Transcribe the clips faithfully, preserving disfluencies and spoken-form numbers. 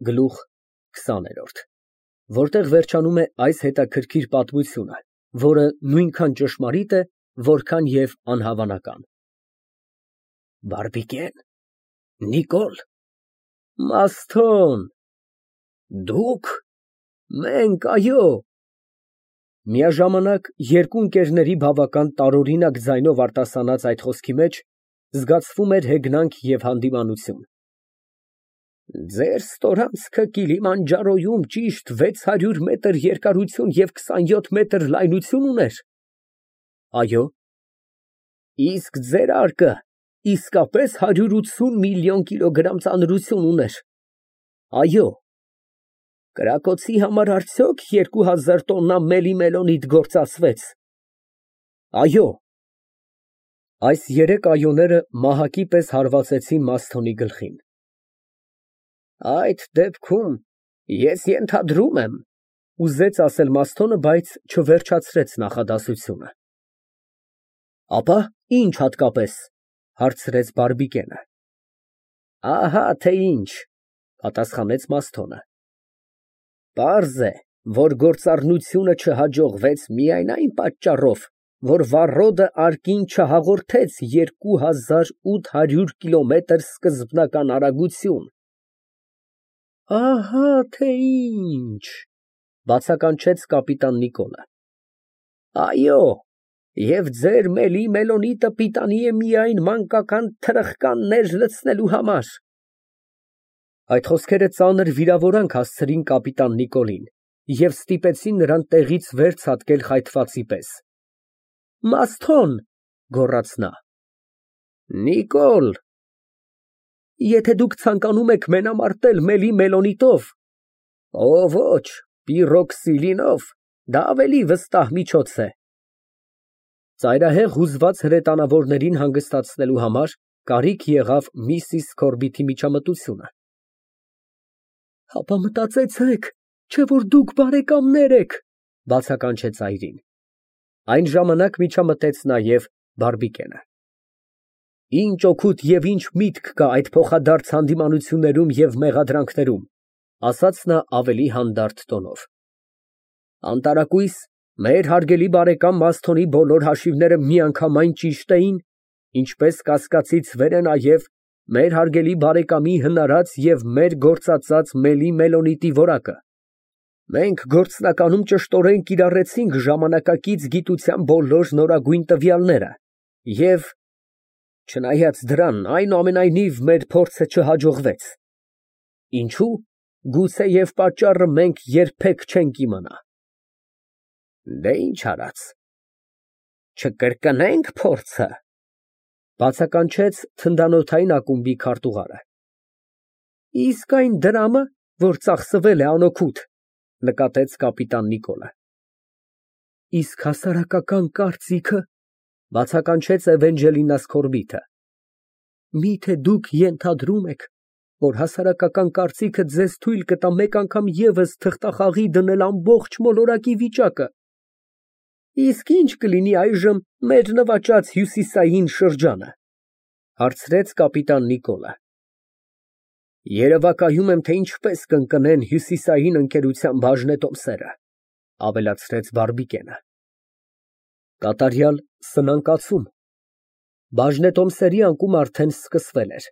Գլուխ քսաներորդ, որտեղ վերջանում է այս հետաքրքիր պատմությունը, որը նույնքան ճշմարիտ է, որքան և անհավանական։ Բարբիկեն, Նիկոլ, Մասթոն, դուք, մենք, այո։ Միաժամանակ երկու ընկերների բավական տարօրինակ ձայնով արտասանած այդ խոսքի մեջ զգացվում էր հեգնանք և հանդիմանություն։ Ձեր ստորանցքը Կիլիմանջարոյում ճիշտ վեց հարյուր մետր երկարություն և քսանյոթ մետր լայնություն ուներ։ Այո։ Իսկ ձեր արկը իսկապես հարյուր ութսուն միլիոն կիլոգրամ ծանրություն ուներ։ Այո։ Կրակոցի համար արդյոք երկու հազար տոննա մելի֊մելոնիտ գործածվեց։ Այո։ Այս երեք այոները մահակի պես հարվածեցին Մասթոնի գլխին։ Այդ դեպքում ես ենթադրում եմ, ուզեց ասել Մասթոնը, բայց չվերջացրեց նախադասությունը։ Ապա ի՞նչ հատկապես, հարցրեց Բարբիկենը։ Ահա թե ինչ, պատասխանեց Մասթոնը։ Պարզ է, որ գործառնությունը չհաջողվեց միայն այն պատճառով, որ վառոդը արկին չհաղորդեց երկու հազար ութ հարյուր կիլոմետր սկզբնական արագություն։ Ահա թե ինչ, բացականչեց կապիտան Նիկոլը։ Այո, և ձեր մելի֊մելոնիտը պիտանի է միայն մանկական թրխկաններ լցնելու համար։ Այդ խոսքերը ծանր վիրավորանք հասցրին կապիտան Նիկոլին և ստիպեցին նրան տեղից վեր ցատկել խայթվածի պես։ Մասթոն, գոռաց նա։ Նիկոլ։ Եթե դուք ցանկանում եք մենամարտել մելի֊մելոնիտով, օ ոչ, պիրոքսիլինով, դա ավելի վստահ միջոց է։ Ծայրահեղ հուզված հրետանավորներին հանգստացնելու համար կարիք եղավ միսիս Քորբիթի միջամտությունը։ Հապա մտածեցեք, չէ՞ որ դուք բարեկամներ եք, բացականչեց այրին։ Այն ժամանակ միջամտեց նաև Բարբիկենը։ Ինչ օգուտ և ինչ միտք կա այդ փոխադարձ հանդիմանություններում և մեղադրանքներում, ասաց նա ավելի հանդարտ տոնով։ Անտարակույս, մեր հարգելի բարեկամ Մասթոնի բոլոր հաշիվները միանգամայն ճիշտ էին, ինչպես կասկածից վեր է նաև մեր հարգելի բարեկամի հնարած և մեր գործածած մելի֊մելոնիտի որակը։ Մենք գործնականում ճշտորեն կիրառեցինք ժամանակակից գիտության բոլոր նորագույն տվյալները և, չնայած դրան, այնուամենայնիվ մեր փորձը չհաջողվեց։ Ինչո՞ւ, գուցեև պատճառը մենք երբեք չենք իմանա։ Դե ինչ արած, չկրկնե՞նք փորձը, բացականչեց թնդանոթային ակումբի քարտուղարը։ Իսկ այն դրամը, որ ծախսվել է անօգուտ, նկատեց կապիտան Նիկոլը։ Իսկ հասարակական կարծիքը, բացականչեց Էվենջելինա Սկորբիթը։ Միթե դուք ենթադրում եք, որ հասարակական կարծիքը ձեզ թույլ կտա մեկ անգամ ևս թղթախաղի դնել ամբողջ մոլորակի վիճակը։ Իսկ ի՞նչ կլինի այժմ մեր նվաճած հյուսիսային շրջանը, հարցրեց կապիտան Նիկոլը։ Երևակայում եմ, թե ինչպես կընկնեն հյուսիսային ընկերության բաժնետոմսերը, ավելացրեց Բարբիկենը։ Կատարյալ սնանկացում։ Բաժնետոմսերի անկումը արդեն սկսվել էր։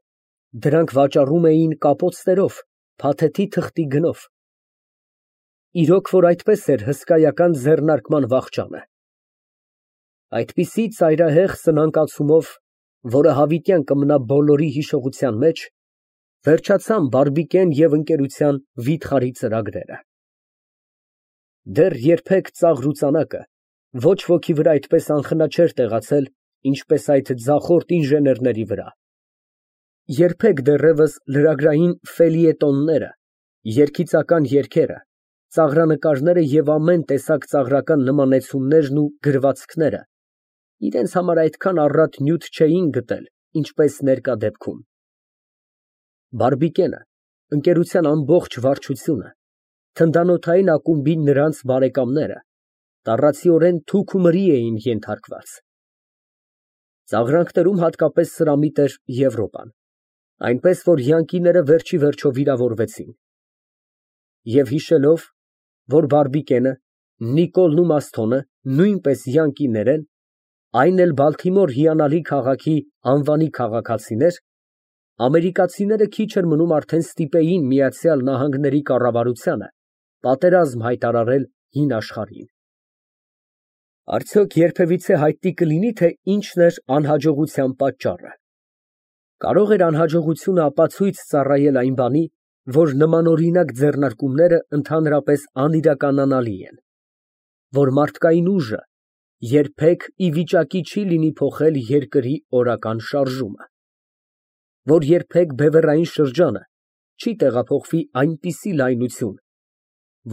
Դրանք վաճառում էին կապոցներով, փաթեթի թղթի գնով։ Իրոք որ այդպես էր հսկայական ձեռնարկման վախճանը։ Այդպիսի ծայրահեղ սնանկացումով, որը հավիտյան կմնա բոլորի հիշողության մեջ, վերջացան Բարբիկեն և ընկերության վիթխարի ծրագրերը։ Դեռ երբեք ծաղրուծանակը ոչ ոքի վրա այդպես անխնա չէր տեղացել, ինչպես այդ ձախորդ ինժեներների վրա։ Երբեք դեռևս լրագրային ֆելիետոնները, երգիծական երգերը, ծաղրանկարները և ամեն տեսակ ծաղրական նմանեցումներն ու գրվածքները իրենց համար այդքան առատ նյութ չէին գտել, ինչպես ներկա դեպքում։ Բարբիկենը, ընկերության ամբողջ վարչությունը, թնդանոթային ակումբի նրանց բարեկամները տառացիորեն թուք ու մրի էին ենթարկված։ Ծաղրանքներում հատկապես սրամիտ էր Եվրոպան, այնպես որ յանկիները վերջիվերջո վիրավորվեցին։ Եվ հիշելով, որ բարբիկենը, Նիկոլն ու Մասթոնը նույնպես յանկիներ են, այն էլ Բալթիմոր հիանալի քաղաքի անվանի քաղաքացիներ, ամերիկացիները քիչ էր մնում արդեն ստիպեին Միացյալ Նահանգների կառավարությանը պատերազմ հայտարարել հին աշխարհին։ Արդյոք երբևիցե հայտնի կլինի, թե ինչն էր անհաջողության պատճառը։ Կարող էր անհաջողությունը ապացույց ծառայել այն բանի, որ նմանօրինակ ձեռնարկումները ընդհանրապես անիրականանալի են, որ մարդկային ուժը երբեք ի վիճակի չի լինի փոխել երկրի օրական շարժումը, որ երբեք բևեռային շրջանը չի տեղափոխվի այնպիսի լայնություն,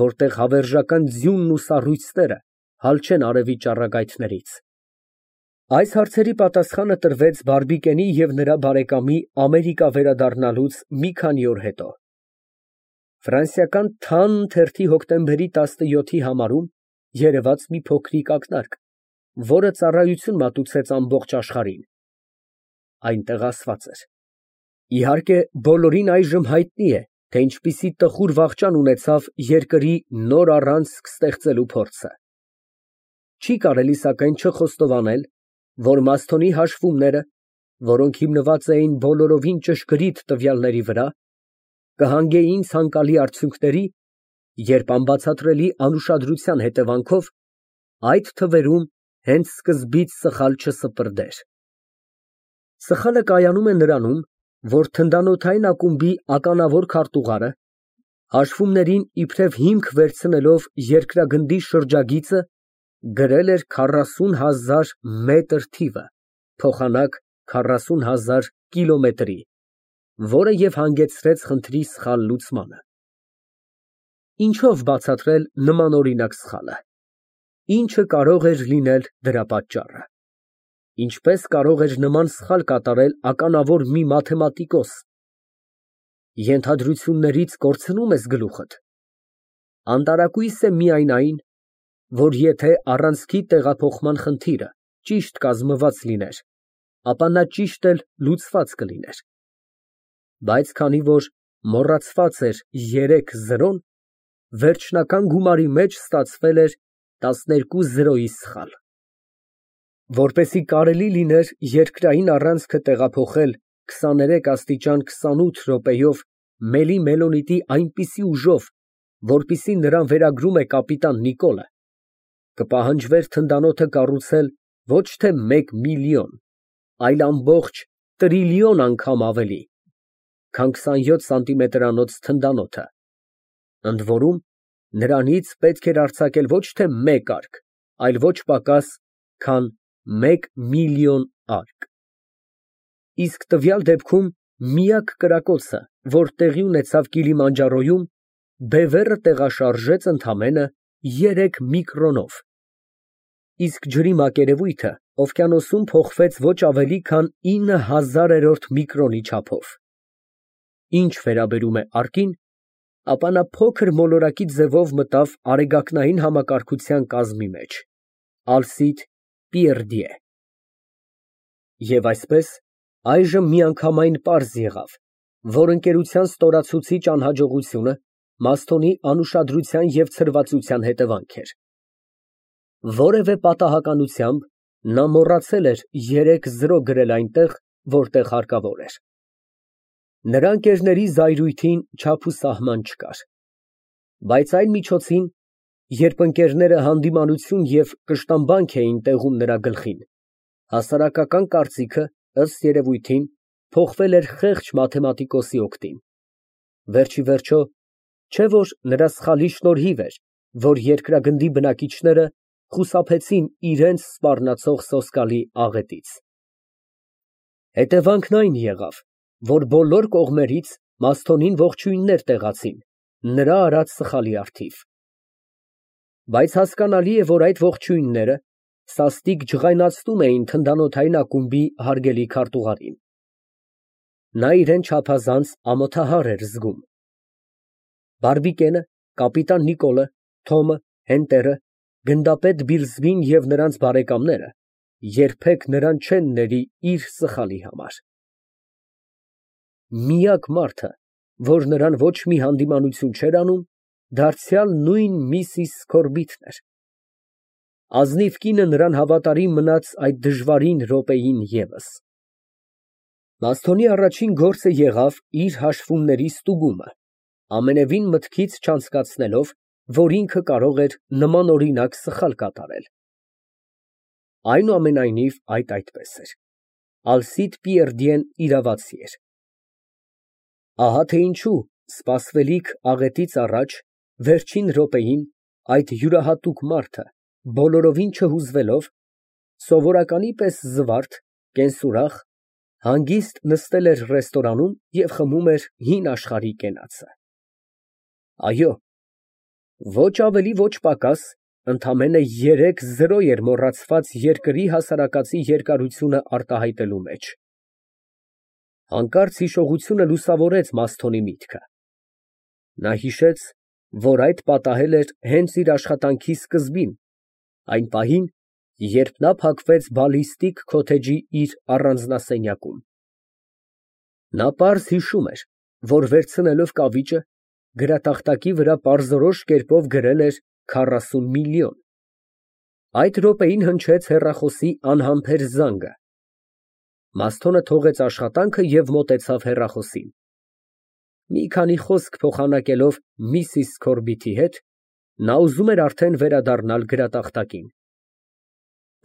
որտեղ հավերժական ձյունն ու սառույցները հալ չեն արևի ճառագայթներից։ Այս հարցերի պատասխանը տրվեց Բարբիկենի և նրա բարեկամի Ամերիկա վերադառնալուց մի քանի օր հետո։ Ֆրանսիական Թանն թերթի հոկտեմբերի տասնյոթի համարում երևաց մի փոքրիկ ակնարկ, որը ծառայություն մատուցեց ամբողջ աշխարհին։ Այնտեղ ասված էր. իհարկե, բոլորին այժմ հայտնի է, թե ինչպիսի տխուր վախճան ունեցավ երկրի նոր առանցք ստեղծելու փորձը։ Չի կարելի սակայն չխոստովանել, որ Մասթոնի հաշվումները, որոնք հիմնված էին բոլորովին ճշգրիտ տվյալների վրա, կհանգեին ցանկալի արդյունքների, երբ անբացատրելի անուշադրության հետևանքով այդ թվերում հենց սկզբից սխալ չսպրդեր։ Սխալը կայանում է նրանում, որ թնդանոթային ակումբի ականավոր քարտուղարը, հաշվումներին իբրև հիմք վերցնելով երկրագնդի շրջագիծը, գրել էր քառասուն հազար մետր թիվը, փոխանակ քառասուն հազար կիլոմետրի, որը և հանգեցրեց խնդրի սխալ լուծմանը։ Ինչով բացատրել նմանօրինակ սխալը։ Ինչը կարող էր լինել դրա պատճառը։ Ինչպես կարող էր նման սխալ կատարել ականավոր մի մաթեմատիկոս։ Ենթադրություններից կորցնո՞ւմ ես գլուխդ։ Անտարակույս է միայն այն, որ եթե առանցքի տեղափոխման խնդիրը ճիշտ կազմված լիներ, ապա նա ճիշտ էլ լուծված կլիներ։ Բայց քանի որ մոռացված էր երեք զրոն, վերջնական գումարի մեջ ստացվել էր տասներկու զրոյի սխալ։ Որպեսզի կարելի լիներ երկրային առանցքը տեղափոխել քսաներեք աստիճան քսանութ րոպեով Մելի Մելոնիտի այնպիսի ուժով, որպիսի նրան վերագրում է կապիտան Նիկոլը, կպահանջվեր թնդանոթը կառուցել ոչ թե մեկ միլիոն, այլ ամբողջ տրիլիոն անգամ ավելի, քան քսանյոթ սանտիմետրանոց թնդանոթը, ընդ որում նրանից պետք էր արձակել ոչ թե մեկ արկ, այլ ոչ պակաս, քան մեկ միլիոն արկ։ Իսկ տվյալ դեպքում միակ կրակոցը, որ տեղի ունեցավ Կիլիմանջարոյում, բևեռը տեղաշարժեց ընդամենը երեք միկրոնով, իսկ ջրի մակերևույթը օվկիանոսում փոխվեց ոչ ավելի քան ինը հազարերորդ միկրոնի չափով։ Ինչ վերաբերում է արկին, ապա նա փոքր մոլորակի ձևով մտավ արեգակնային համակարգության կազմի մեջ, Alcide Pierdie։ Եվ այսպես, այժմ միանգամայն պարզ եղավ, որ ընկերության ստորացուցիչ անհաջողությունը Մասթոնի անուշադրության և ցրվածության հետևանք էր։ Որևէ պատահականությամբ նա մոռացել էր երեք զրո գրել այնտեղ, որտեղ հարկավոր էր։ Նրա ընկերների զայրույթին չափ ու սահման չկար։ Բայց այն միջոցին, երբ ընկերները հանդիմանություն և կշտամբանք էին տեղում նրա գլխին, հասարակական կարծիքը, ըստ երևույթին, փոխվել էր խեղճ մաթեմատիկոսի օգտին։ Վերջիվերջո, չէ՞ որ նրա սխալի շնորհիվ էր, որ երկրագնդի բնակիչները խուսափեցին իրենց սպառնացող սոսկալի աղետից։ Հետևանքն այն եղավ, որ բոլոր կողմերից Մասթոնին ողջույններ տեղացին նրա արած սխալի առթիվ։ Բայց հասկանալի է, որ այդ ողջույնները սաստիկ ջղայնացնում էին թնդանոթային ակումբի հարգելի քարտուղարին։ Նա իրան չափազանց ամոթահար էր զգում։ Բարբիկենը, կապիտան Նիկոլը, Թոմը, Հենտերը, գնդապետ Բիլզբին և նրանց բարեկամները երբեք նրան չեն ների իր սխալի համար։ Միակ մարդը, որ նրան ոչ մի հանդիմանություն չէր անում, դարձյալ նույն միսիս Սքորբիթն էր։ Ազնիվ կինը նրան հավատարիմ մնաց այդ դժվարին րոպեին ևս։ Մըստոն առաջին գործը եղավ իր հաշվումների ստուգումը, ամենևին մտքից չանցկացնելով, որ ինքը կարող էր նմանօրինակ սխալ կատարել։ Այնուամենայնիվ, այդ այդպես էր, Ալսիդ Պիերդիեն իրավացի էր։ Ահա թե ինչու սպասվելիք աղետից առաջ, վերջին րոպեին, այդ յուրահատուկ մարդը, բոլորովին չհուզվելով, սովորականի պես զվարթ, կենսուրախ, հանգիստ նստել էր ռեստորանում և խմում էր հին աշխարհի կենացը։ Այո, ոչ ավելի, ոչ պակաս, ընդամենը երեք զրո էր մոռացված երկրի հասարակածի երկարությունը արտահայտելու մեջ։ Հանկարծ հիշողությունը լուսավորեց Մըստոյի միտքը։ Նա հիշեց, որ այդ պատահել էր հենց իր աշխատանքի սկզբին, այն պահին, երբ նա փակվեց բալիստիկ քոթեջի իր առանձնասենյակում։ Նա պարզ հիշում էր, որ վերցնելով կավիճը, գրատախտակի վրա պարզորոշ կերպով գրել էր քառասուն միլիոն։ Այդ րոպեին հնչեց հեռախոսի անհամբեր զանգը։ Մըստոն թողեց աշխատանքը և մոտեցավ հեռախոսին։ Մի քանի խոսք փոխանակելով միսիս Սքորբիթի հետ, նա ուզում էր արդեն վերադառնալ գրատախտակին։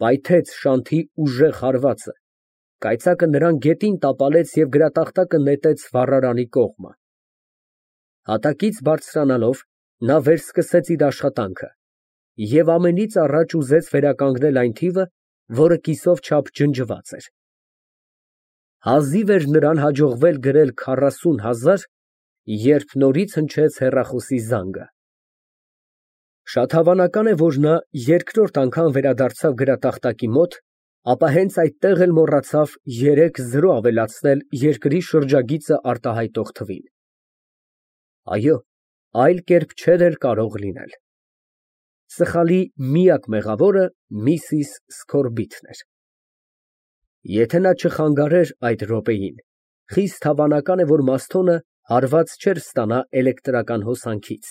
Պայթեց շանթի ուժեղ հարվածը, կայծակը նրան գետին տապալեց և գրատախտակը նետեց վառարանի կողմը։ Հատակից բարձրանալով, նա վերսկսեց իր աշխատանքը և ամենից առաջ ուզեց վերականգնել այն թիվը, որը կիսով չափ ջնջված էր։ Հազիվ էր նրան հաջողվել գրել քառասուն հազար, երբ նորից հնչեց հեռախոսի զանգը։ Շատ հավանական է, որ նա երկրորդ անգամ վերադարձավ գրատախտակի մոտ, ապա հենց այդտեղ էլ մոռացավ երեք զրո ավելացնել երկրի շրջագիծը արտահայտող թվին։ Այո, այլ կերպ չէր էլ կարող լինել։ Սխալի միակ մեղավորը միսիս Սքորբիթն էր։ Եթե նա չխանգարեր այդ րոպեին, խիստ հավանական է, որ Մըստոն հարված չէր ստանա էլեկտրական հոսանքից,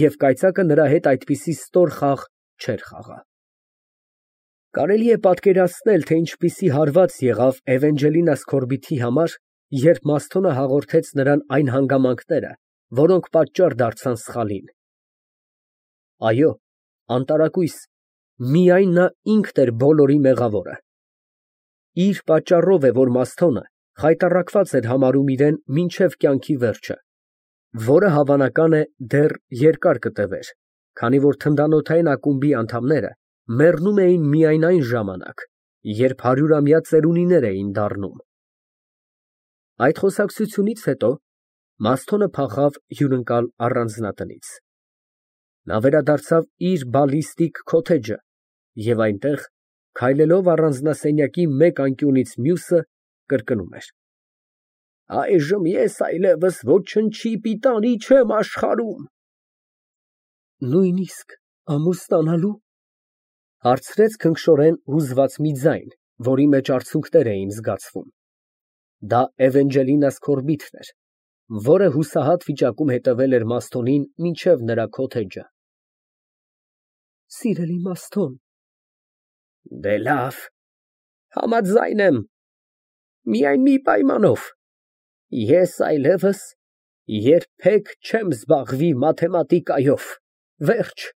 և կայծակը նրա հետ այդպիսի ստոր խաղ չէր խաղա։ Կարելի է պատկերացնել, թե ինչպիսի հարված եղավ Էվենջելինա Սքորբիթի համար, երբ Մըստոն հաղորդեց նրան այն հանգամանքները, որոնք պատճառ դարձան սխալին։ Այո, անտարակույս, միայն նա ինքն էր բոլորի մեղավորը։ Իր պատճառով է, որ Մըստոն խայտառակված էր համարում իրեն մինչև կյանքի վերջը, որը հավանական է դեռ երկար կտևեր, քանի որ թնդանոթային ակումբի անդամները մեռնում էին միայն այն ժամանակ, երբ հարյուրամյա ծերունիներ էին դառնում։ Այդ խոսակցությունից հետո Մըստոն փախավ հյուրընկալ առանձնատնից։ Նա վերադարձավ իր բալիստիկ քոթեջը և այնտեղ, քայլելով առանձնասենյակի մեկ անկյունից մյուսը, կրկնում էր. «Այժմ ես այլևս ոչնչի պիտանի չեմ աշխարհում»։ Նույնիսկ ամուսնանալո՞ւ, հարցրեց քնքշորեն հուզված մի ձայն, որի մեջ արցունքներ էին զգացվում։ Դա Էվենջելինա Սքորբիթն էր, որը հուսահատ վիճակում հետևել էր Մըստոյին մինչև նրա քոթեջը։ Սիրելի Մըստո, դե լավ, համաձայն եմ, միայն մի պայմանով, ես այլևս երբեք չեմ զբաղվի մաթեմատիկայով, վերջ։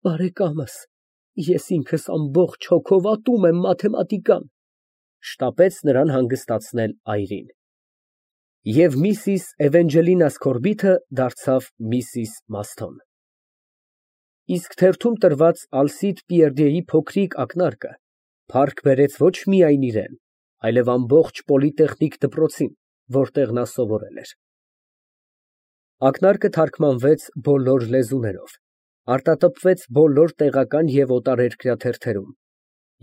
Բարեկամս, ես ինքս ամբողջ հոգով ատում եմ մաթեմատիկան, շտապեց նրան հանգստացնել այրին։ Եվ միսիս Էվենջելինա Սքորբիթը դարձավ միսիս Մըստոն։ Իսկ թերթում տրված Ալսիդ Պիերդիեի փոքրիկ ակնարկը փառք բերեց ոչ միայն իրան, այլև ամբողջ պոլիտեխնիկ դպրոցին, որտեղ նա սովորել էր։ Ակնարկը թարգմանվեց բոլոր լեզուներով, արտատպվեց բոլոր տեղական և օտարերկրյա թերթերում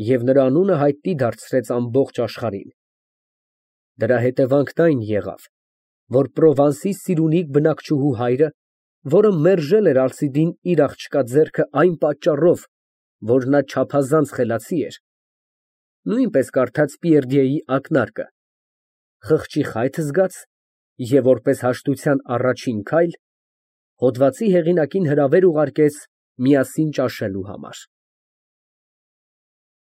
և նրա անունը հայտնի դարձրեց ամբողջ աշխարհին։ Դրա հետևանքն այն եղավ, որ Պրովանսի Սիրունիք բնակչուհու հայրը, որը մերժել էր Ալսիդին իր աղջկա ձեռքը այն պատճառով, որ նա չափազանց խելացի էր, նույնպես կարդաց Պիերդիեի ակնարկը, խղճի խայթ զգաց և որպես հաշտության առաջին քայլ Հոդվացի հեղինակին հրավեր ուղարկեց միասին ճաշելու համար։